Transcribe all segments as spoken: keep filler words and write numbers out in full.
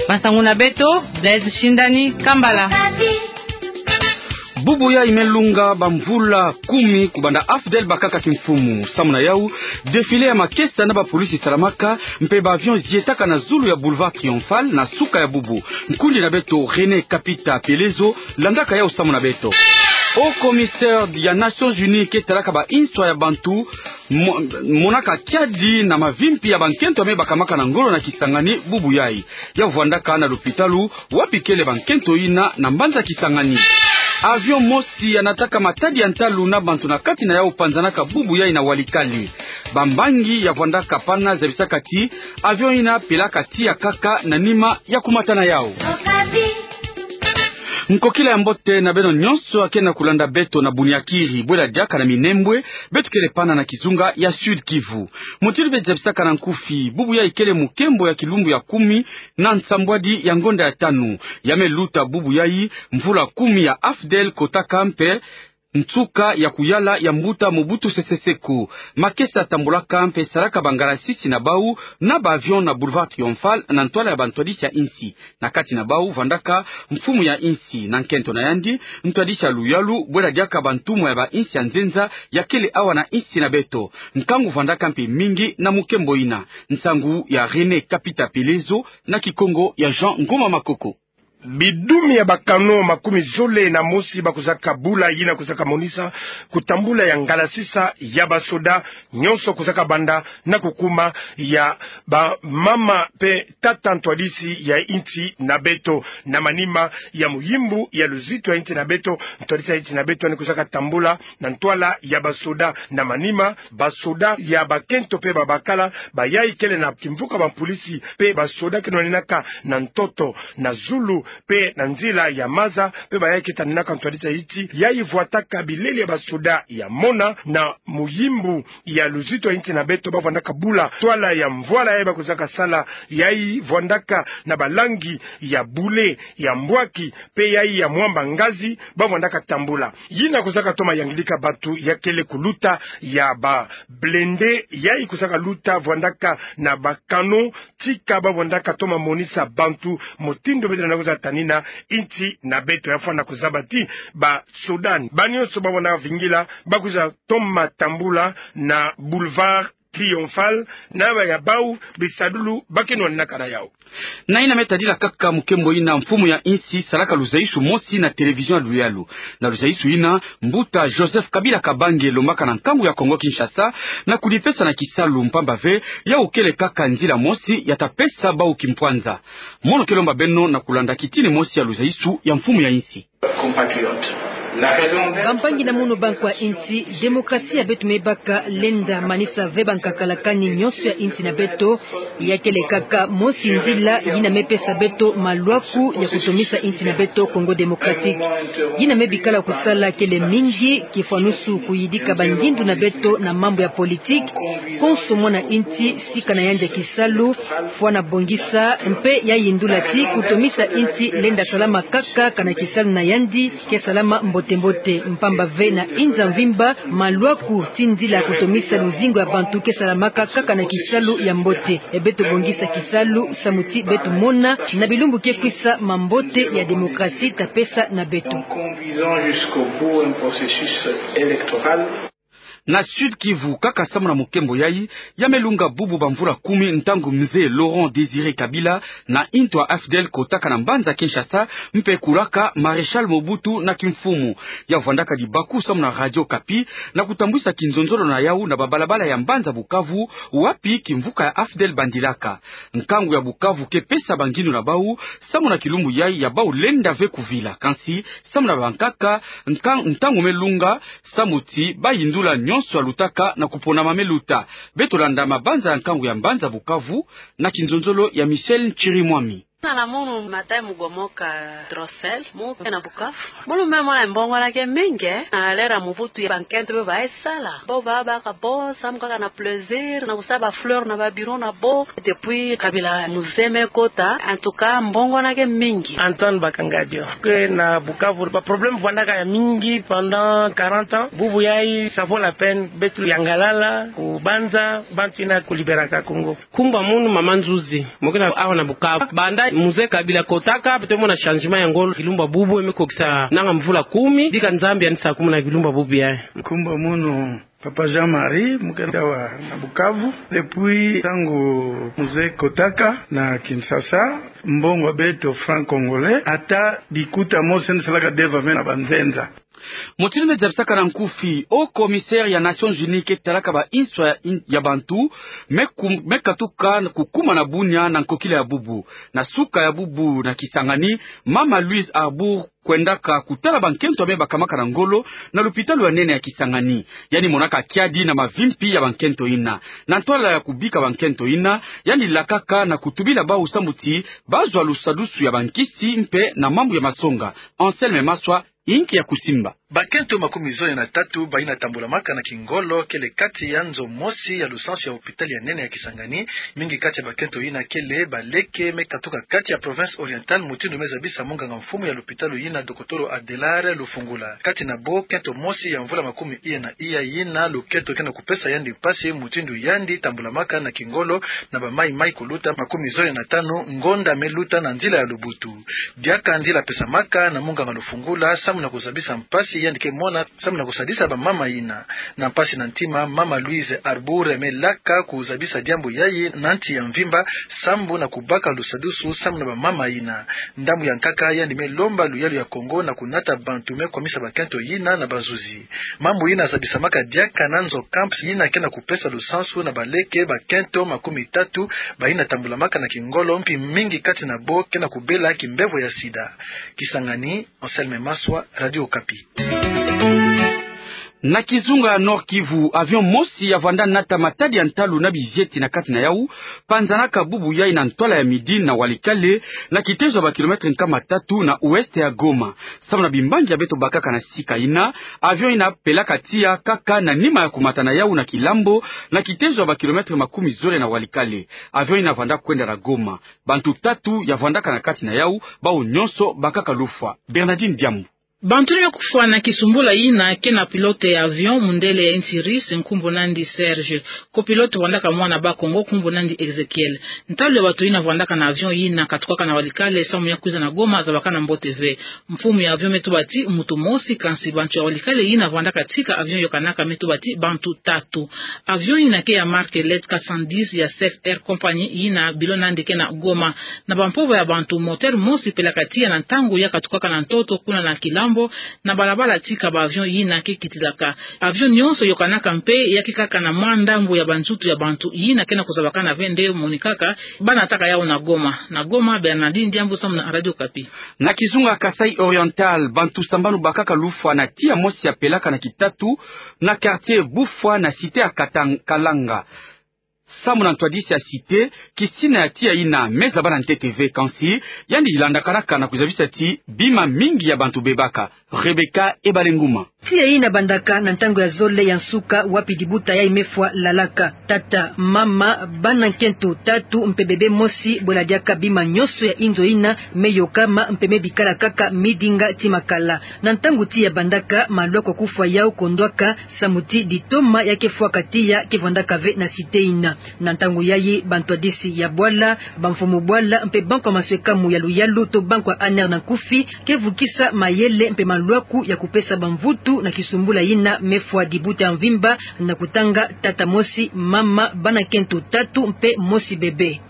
Masangu na beto, Blaise Shindani Kambala. Bubu yayi me lunga bamvula kumi kubanda AFDL bakaka kimfumu. Samu na yau, défilé ya makesa na bapolisi salamaka, mpe ba avion zietaka na zulu ya Boulevard Triomphal na suka ya bubu. Nkundi na beto René Kapita Pelezo landaka yau samu na beto. Haut commissaire ya Nations Unies ke talaka ba inswa ya bantu mo-, monaka kiadi na mavimpi ya bankento ya me bakamaka na ngolo na Kisangani bubu yayi. Ya vwandaka na lopitalu wapi kele bankento yina na mbanza Kisangani. Avion mosi ya nataka matadi ya ntalu na bantu na kati na yau panzanaka bubu yayi na Walikale. Bambangi ya vwandaka pana zabisaka ti avion yina pelaka tiya kaka na nima ya kumata na yau. Nkokila ya mbote na beno nyonso ya ke na kulanda beto na Bunyakiri, bwela diaka na Minembwe, beto kele pana na kizunga ya Sud-Kivu. Mutindu beno zabisaka na nkufi, bubu yayi kele mukembo ya kilumbu ya kumi na nsambwadi ya ngonda ya tanu. Ya me luta bubu yayi, mvula kumi ya AFDL kotaka mpe nsuka ya kuyala ya mbuta Mobutu Sese Seko. Makesa tambulaka mpe salaka bangalasisi na bau na ba avion na Boulevard Triomphal na ntwala ya bantwadisi ya insi. Na kati na bau vwandaka mfumu ya insi, na nkento na yandi, ntwadisi ya luyalu, bwela diaka bantumwa ya ba insi ya nzenza ya kele awa na insi na beto. Nkangu vwandaka mpe mingi na mukembo yina. Nsangu ya René Kapita Pelezo na Kikongo ya Jean Ngoma Makoko. Bidumi ya ba canon makumi zole na mosi bakwizaka bula, yina kwizaka monisa kutambula ya ngalasisa ya basoda nyonso kwizaka banda na kukuma ya bamama mpe tata ntwadisi ya insi na beto. Na manima ya muyimbu ya luzitu ya insi na beto, ntwadisi ya insi na beto yandi kwizaka tambula na ntwala ya basoda. Na manima, basoda ya bakento mpe babakala, bayayi kele na kimvuka bampolisi mpe basoda ke nwaninaka na ntoto, na zulu mpe na nzila ya maza, mpe bayayi ke taninaka ntwadisi ya insi, yayi vwataka bileli ya basoda ya mona na muyimbu ya luzitu ya insi na beto, bavwandaka bula ntwala ya mvwala yayi bakwizaka sala, yayi vwandaka na balangi ya bule, ya mbwaki, mpe yayi ya mwamba ngazi, bavwandaka tambula. Yina kwizaka toma yangidika bantu ya kele kuluta ya ba blindés, yayi kwizaka luta vwandaka na ba canon, tika bavwandaka toma monisa bantu mutindu beto na kwiza tanina insi na beto. Ya fwana kuzaba ti basoda ba nyonso bavwandaka vingila bakwiza toma tambula na Boulevard Triomphal, na baya bau bisadulu ba ke nwaninaka na yau. Na yina me tadila kaka mukembo yina, mfumu ya insi salaka luzaisu mosi na télévision ya luyalu. Na luzaisu yina, mbuta Joseph Kabila Kabange lombaka na nkangu ya Congo Kinshasa na kudipesa na kisalu, mpamba ve yau kele kaka nzila mosi ya ta pesa bau kimpwanza. Mono ke lomba beno na kulanda kitini mosi ya luzaisu ya mfumu ya insi. Bampangi na mono, bankwa insi, démocratie ya beto me baka lenda manisa ve bankakalakani nyonso ya insi na beto. Ya kele kaka mosi nzila yina me pesa beto malwaku ya kutomisa insi na beto Congo Démocratique. Yina me bikala kusala kele mingi, kifwanusu kuyidika bangindu na beto na mambu ya politique. Konso mwana insi sika na yandi ya kisalu fwana bongisa, mpe ya yindula ti kutomisa insi lenda salama kaka kana kisalu na yandi ke salama mbote-mbote, mpamba ve na inza mvimba, malwaku ti nzila kutomisa luzingu ya bantu ke salamaka kaka na kisalu ya mbote. E beto bongisa kisalu samu ti beto mona na bilumbu ke kwisa mambote ya démocratie ta pesa na beto. Conduisant jusqu'au bout un processus électoral. Na Sud-Kivu kaka, samu na mukembo yayi, ya me lunga bubu bamvula kumi ntangu Mze Laurent Désiré Kabila na intu ya AFDL kotaka na mbanza Kinshasa, mpe kulaka Maréchal Mobutu na kimfumu. Ya vwandaka dibaku samu na Radio Okapi na kutambwisa kinzonzolo na yau na babalabala ya mbanza Bukavu, wapi kimvuka ya AFDL bandilaka. Nkangu ya Bukavu ke pesa bangindu na bau samu na kilumbu yayi ya bau lenda ve kuvila. Kansi, samu na bankaka, nkan-, ntangu me lunga, samu ti bayindula nyonso ya lutaka na kuponama me luta. Beto landa mabanza ya nkangu ya mbanza Bukavu na kinzonzolo ya Michel Nchirimwami. Nana mono Matayo Mugomoka Drossel, mu ke na Bukavu. Mono me mona mbongo na ke mingi, na lera Mobutu ya bankento be baye sala. Bo babaka bo, samu kaka na plaisir, na kusa ba fleur na ba bureau na bo. Depuis Kabila Mze me kota, en tout cas, mbongo na ke mingi. Antoine Bakangadio. Ke na Bukavu, ba problème vwandaka ya mingi pendant quarante ans. Bubu yayi, ça vaut la peine, beto yangalala, kubanza, bantu yina kulibéraka Congo. Nkumbu ya mono Mama Nzuzi, mo ke na awa na Bukavu. Banda Mzee Kabila kotaka, beto mona changement ya ngolo kilumbu bubu, e me kokisa nanga mvula kumi, dika Nzambi yanisa kumuna kilumbu bubu yayi. Nkumbu mono Papa Jean-Marie, mukanda wa na Bukavu. Depuis ntangu mzee kotaka na Kinshasa, mbongo ya beto franc congolais, ata bikuta mosi nde salaka deva ve na banzenza. Motindu me zabisaka na nkufi, Haut Commissaire ya Nations Unies ke talaka ba nswa ya in-, ya bantu, me kum-, me katuka kukuma na Bunia na nkokila ya bubu. Na suka ya bubu na Kisangani, Mama Louise Arbour kwendaka kutala bankento ya me bakamaka na ngolo na lupitalu ya nene ya Kisangani. Yandi monaka kiadi na mavimpi ya bankento yina. Na ntwala ya kubika bankento yina, yandi lakaka na kutubila bawu sambu ti bazwa lusadusu ya bankisi mpe na mambu ya masonga. Anselme Maswa, inki ya kusimba. Bakento makumi zole na tatu bayina tambulamaka na kingolo kele kati ya nzo mosi ya lusansu ya lupitalu ya nene ya Kisangani. Mingi kati ya bakento yina kele baleke me katuka kati ya province orientale, mutindu me zabisa munganga mfumu ya lupitalu yina, Dokotolo Adelard Lufungula. Kati na bo, kento mosi ya mvula makumi iya na iya yina lukento ke na kupesa yandi mpasi, mutindu yandi tambulamaka na kingolo na bamaimai kuluta makumi zole na tanu ngonda me luta na nzila ya lubutu. Diaka nzila pesamaka na munganga Lufungula samu na kuzabisa mpasi yandi ke mona samu na kusadisa bamama yina. Na mpasi na ntima, Mama Louise Arbour me laka kuzabisa diambu yayi na nti ya mvimba, sambu na kubaka lusadusu samu na bamama yina. Ndambu ya nkaka, yandi me lomba luyalu ya Kongo na kunata bantu me kwamisa bakento yina na bazuzi. Mambu yina zabisamaka diaka na nzo camps yina ke na kupesa lusansu na baleke bakento makumi tatu bayina tambulamaka na kingolo, mpi mingi kati na bo ke na kubela kimbevo ya sida. Kisangani, Anselme Maswa, Radio Okapi. Na kizunga ya Nord-Kivu, avion mosi ya vanda nata matadi ya ntalu na bizieti na kati na yawu, panzanaka bubu yayi na ntwala ya midi na Walikale, na kitezo ya ba kilomètre nkama tatu na ouest ya Goma. Samu na bimbangi ya beto bakaka na sika yina, avion yina pelaka tiya kaka na nima ya kumata na yawu na Kilambo, na kitezo ya ba kilomètre makumi zole na Walikale. Avion yina vanda kwenda na Goma. Bantu tatu ya vandaka na kati na yawu, bawu nyonso bakaka lufwa. Bernardine Diambu. Bantu yina kufwa na kisumbula yina ke na pilote ya avion mundele ya nsi Russie, nkumbu nandi Serge. Copilote vandaka mwana Bas-Congo, nkumbu nandi Ezekiel. Ntalu ya bantu yina vandaka na avion yina katukaka na Walikale samu ya kwiza na Goma zabakana mbote ve. Mfumu ya avion me tuba ti muntu mosi, kansi bantu ya Walikale yina vandaka tika avion yokanaka me tuba ti bantu tatu. Avion yina ke ya marque Elite quatre cent dix ya Safe Air Company, yina bilo nandi ke na Goma. Na bampova ya bantu, moteur mosi pelaka tiya na ntangu ya katukaka na ntoto kuna na Kilambo, na balabala tika ba avion yina ke kitilaka. Avion nyonso yokanaka mpe ya ke kaka na mwa ndambu ya banzutu ya bantu yina ke na kuzabakana ve nde monikaka ba nataka yawu na Goma. Na Goma, Bernardine Diambu samu na Radio Okapi. Na kizunga Kasaï Oriental, bantu sambanu bakaka lufwa na tiya mosi ya pelaka na Kitatu, na quartier Bufwa na cité ya Katang-, Kalanga. Samu na ntwadisi ya cité, kisina ya tiya yina me zaba na ntete ve, kansi yandi landakanaka na kuzabisa ti bima mingi ya bantu bebaka. Rebecca Ebalenguma. Tiya yina bandaka na ntangu ya zole ya nsuka, wapi dibuta yayi me fwa lalaka. Tata, mama, bana nkento tatu mpe bebe mosi, bwela diaka bima nyonso ya inzo yina me yokama mpe me bikala kaka midinga ti makala. Na ntangu tiya bandaka, malwaku ya kufwa yawu kondwaka, samu ti ditoma ya ke fwaka tiya ke vandaka ve na cité yina. Na ntangu yayi, bantwadisi ya bwala, bamfumu bwala mpe bankwa maswekamu ya luyalu to bankwa A N R na nkufi, ke vukisa mayele mpe malwaku ya kupesa bamvutu na kisumbula yina me fwa dibuta ya mvimba, na kutanga tata mosi, mama, bana nkento tatu mpe mosi bebe.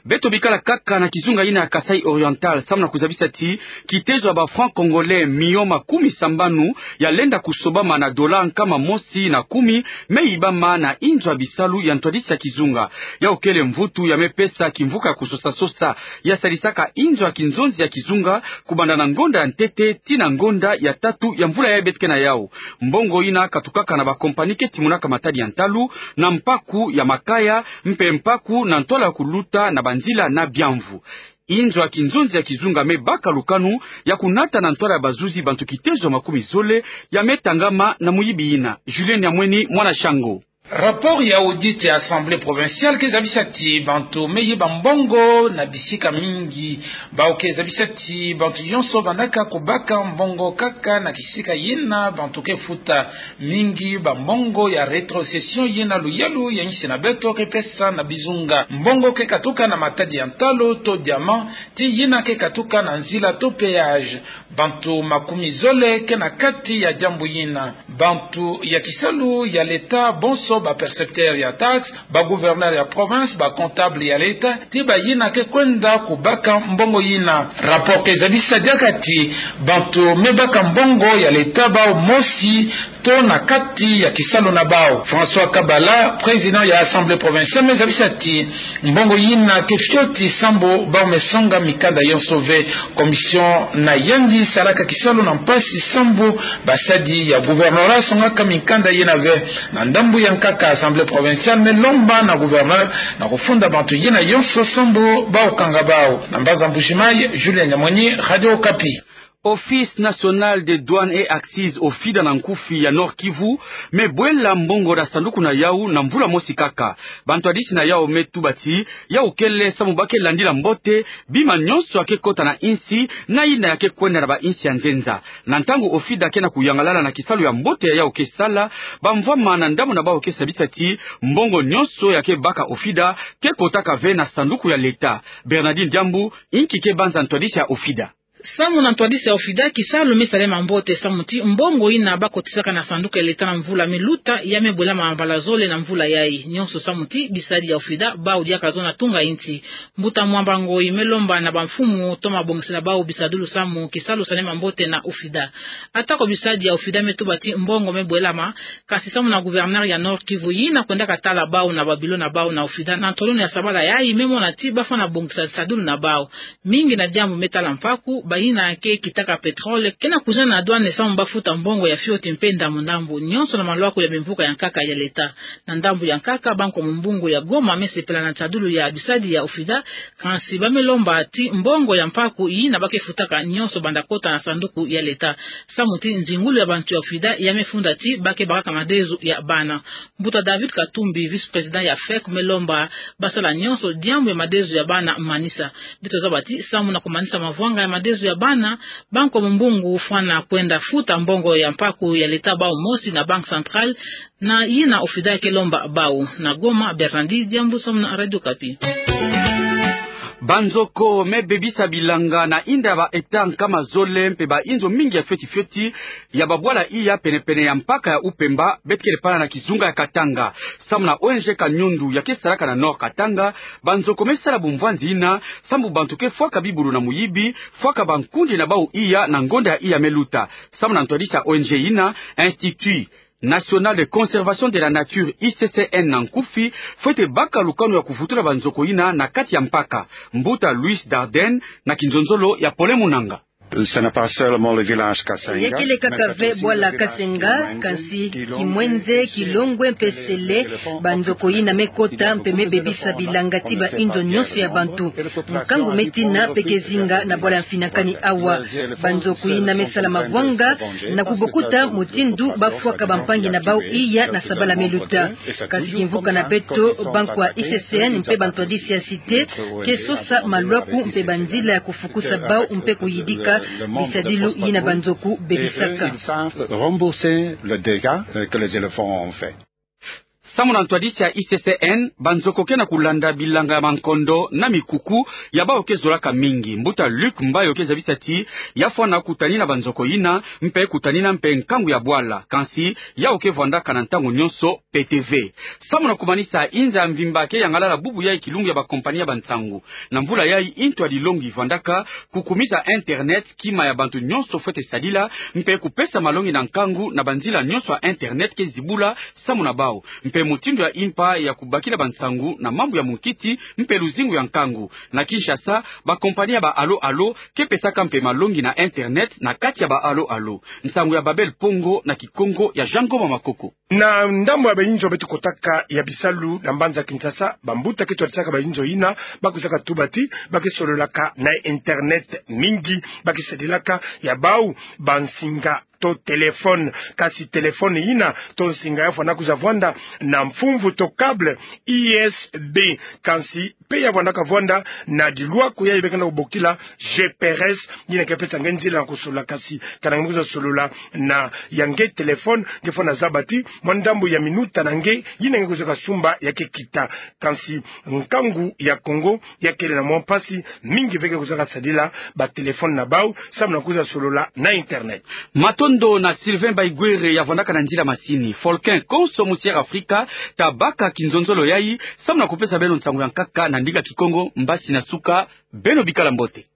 Beto bikala kaka na kizunga yina ya Kasaï Oriental, samu na kuzabisa ti kitezo ya ba francs congolais miyo makumi sambanu ya lenda kusobama na dola nkama mosi na kumi me yibama na inzo ya bisalu ya ntwadisi ya kizunga. Yawu kele mvutu ya me pesa kimvuka ya kusosa-sosa ya sadisaka inzo ya kinzonzi ya kizunga, kubanda na ngonda ya ntete tii na ngonda ya tatu ya mvula yayi beto ke na yawu. Mbongo yina katukaka na ba compagnie ke timonaka matadi ya ntalu, na mpaku ya makaya, mpe mpaku na ntwala ya kuluta na banzila na biamvu. Inzo ya kinzonzi ya kizunga me baka lukanu ya kunata na ntwala ya bazuzi bantu kitezo ya makumi zole ya me tangama na muyibi yina. Julien Nyamweni, mwana Shango. Rapport ya audit ya Assemblée provinciale ke zabisa ti bantu me yiba mbongo na bisika mingi. Bawu ke zabisa ti bantu nyonso vandaka kubaka mbongo kaka na kisika yina bantu ke futa. Mingi bambongo ya rétrocession yina luyalu ya insi na beto ke pesa na bizunga. Mbongo ke katuka na matadi ya ntalu to diamant, ti yina ke katuka na nzila to péage. Bantu makumi zole ke na kati ya diambu yina. Bantu ya kisalu ya l'État, bonso ba percepteur ya taxe, ba gouverneur ya province, ba comptable ya l'État, ti bayina ke kwenda kubaka mbongo yina. Rapport ke zabisa diaka ti bantu me baka mbongo ya l'État bawu mosi to na kati ya kisalu na bawu. François Kabala, président ya Assemblée provinciale, me zabisa ti mbongo yina ke fioti sambu bawu me songa mikanda yonso ve. Commission na yandi salaka kisalu na mpasi sambu basadi ya gouvernorat songaka mikanda yina ve. Na ndambu ya nkaka, Assemblée provinciale me lomba na gouverneur na kufunda bantu yina yonso sambu bawu kanga bawu. Na mbanza Mbuji-Mayi, Julien Nyamoni, Radio Okapi. Office National des Douanes et Accises, OFIDA na nkufi, ya Nord-Kivu me bwela mbongo na sanduku na yawu na mvula mosi kaka. Bantwadisi na yawu me tuba ti yawu kele sambu ba ke landila mbote bima nyonso ya ke kota na insi na yina ya ke kwenda na bainsi ya nzenza. Na ntangu OFIDA ke na kuyangalala na kisalu ya mbote ya yawu ke sala, bamvwama na ndambu na bawu ke sabisa ti mbongo nyonso ya ke baka OFIDA ke kotaka ve na sanduku ya l'État. Bernardine Diambu, inki ke banza ntwadisi ya OFIDA. Sambu na ntwadisi ya OFIDA, kisalu me salama mbote sambu ti mbongo yina ba kotisaka na sanduku ya l'État na mvula me luta, ya me bwelama mbala zole na mvula yayi. Nyonso sambu ti bisadi ya OFIDA bawu diaka zo na tunga insi. Mbuta Mwamba Ngoyi me lomba na bamfumu to mabongisela bawu bisadilu sambu kisalu salama mbote na OFIDA. Atako bisadi ya OFIDA me tuba ti mbongo me bwelama, kasi sambu na gouverneur ya Nord-Kivu yina kwendaka tala bawu na ba bureau na bawu na OFIDA na ntolonu ya sabala yayi, me mona ti ba fwana bongisa nsadilu na bawu. Mingi na diambu me tala mpaku, bayina ke kitaka pétrole ke na kuzana na douane sambu ba futa mbongo ya fioti mpe ndambu-ndambu, nyonso na malwaku ya bimvuka ya nkaka ya l'État. Na ndambu ya nkaka, Banque Mumbungu ya Goma me sepela na nsadilu ya bisadi ya OFIDA, kansi ba me lomba ti mbongo ya mpaku yina ba ke futaka nyonso banda kota na sanduku ya l'État. Sambu ti nzingulu ya bantu ya OFIDA ya me funda ti ba ke bakaka madezo ya bana. Mbuta David Katumbi, vice-président ya FEC, me lomba ba sala nyonso diambu ya madezo ya bana manisa. Beto zaba ti sambu na kumanisa mavwanga ya madezo ya bana, Banque Mumbungu fwana kwenda futa mbongo ya mpaku ya l'État bawu mosi na Banque Centrale, na yina OFIDA ke lomba bawu. Na Goma, Bernardine Diambu, sambu na Radio Okapi. Banzoko me bebisa bilanga na inda ya ba hectare nkama zole mpe ba inzo mingi ya fioti-fioti ya babwala iya pene-pene ya mpaka ya Upemba, beto kele pana na kizunga ya Katanga. Sambu na ONG Kanyundu ya ke salaka na Nord Katanga, banzoko me sala bumvwanzi yina sambu bantu ke fwaka bibulu na muyibi, fwaka bankundi na bawu iya na ngonda ya iya me luta. Sambu na ntwadisi ya ONG yina, Institut National de Conservation de la Nature, I C C N na nkufi, fwete baka lukanu ya kuvutula banzoko yina na kati ya mpaka. Mbuta Luis Dardenne na kinzonzolo ya Pole Munanga. Ce n'est pas seulement le village Kasenga, ya kele kaka ve bwala Kasenga, kansi Kimwenze, Kilongwe mpe Sele, banzoko yina me kota mpe me bebisa bilanga ti ba inzo nyonso ya bantu. Nkangu me tina mpe ke zinga na bwala ya Mfinakani awa. Banzoko yina me sala mavwanga na kubokuta mutindu ba fwaka bampangi na bawu iya na sabala me luta. Kansi kimvuka na beto, banko ya I C C N mpe bantwadisi ya Cité ke sosa malwaku mpe banzila ya kufukusa bawu mpe kuyidika bisadilu yina banzoko bebisaka. Ils savent rembourser le dégât, euh, que les éléphants ont fait. Sambu na ntwadisi ya I C C N, banzoko ke na kulanda bilanga ya mankondo na mikuku ya bawu ke zolaka mingi. Mbuta Luc Mbayo ke zabisa ti ya fwana kutanina banzoko yina, mpe kutanina mpe nkangu ya bwala. Kansi yawu ke vwandaka na ntangu nyonso pete ve. Sambu na kumanisa, inza ya mvimba ke yangalala bubu yayi kilumbu ya bakompani ya bansangu. Na mvula yayi, intwadi longi vwandaka kukumisa internet, kima ya bantu nyonso fwete sadila, mpe kupesa malongi na nkangu na banzila nyonso ya internet ke zibula sambu na bawu. Mpe mutindu ya impa ya kubakila bansangu na mambu ya munkiti mpe luzingu ya nkangu. Na Kinshasa, bakompani ya ba Allo Allo ke pesaka mpe malongi na internet na kati ya ba Allo Allo. Nsangu ya Babel Pongo na Kikongo ya Jean Ngoma Makoko. Na ndambu ya bainzo beto kotaka ya bisalu na mbanza Kinshasa, bambuta ke twadisaka bainzo yina, ba kwizaka tuba ti ba ke sololaka na internet mingi, ba ke sadilaka ya bawu bansinga to téléphone. Kasi téléphone yina to nsinga ya fwana kwiza vwanda na mfumvu to câble U S B. Kansi pe ya vwanda ka vwanda na dilwako ya yebekena bokila G P R S, yina ke pesa nge nzila na kusolola. Kasi kana nge kwiza solola na ya nge téléphone, nge fwana zaba ti mwa ndambu ya minuta na nge yina nge kwiza kasumba ya ke kita. Kansi nkangu ya Kongo ya kele na mwa mpasi mingi ve ke kwiza kasadila ba téléphone na bau samu na kwiza solola na internet. Matondo na Sylvain Baigwere ya vwandaka na nzila masini. Folkin konso musi Air Africa ta baka kinzonzolo yayi samu na kupesa beno nsangu ya nkaka na ndinga Kikongo mbasi na suka. Beno bikala mbote.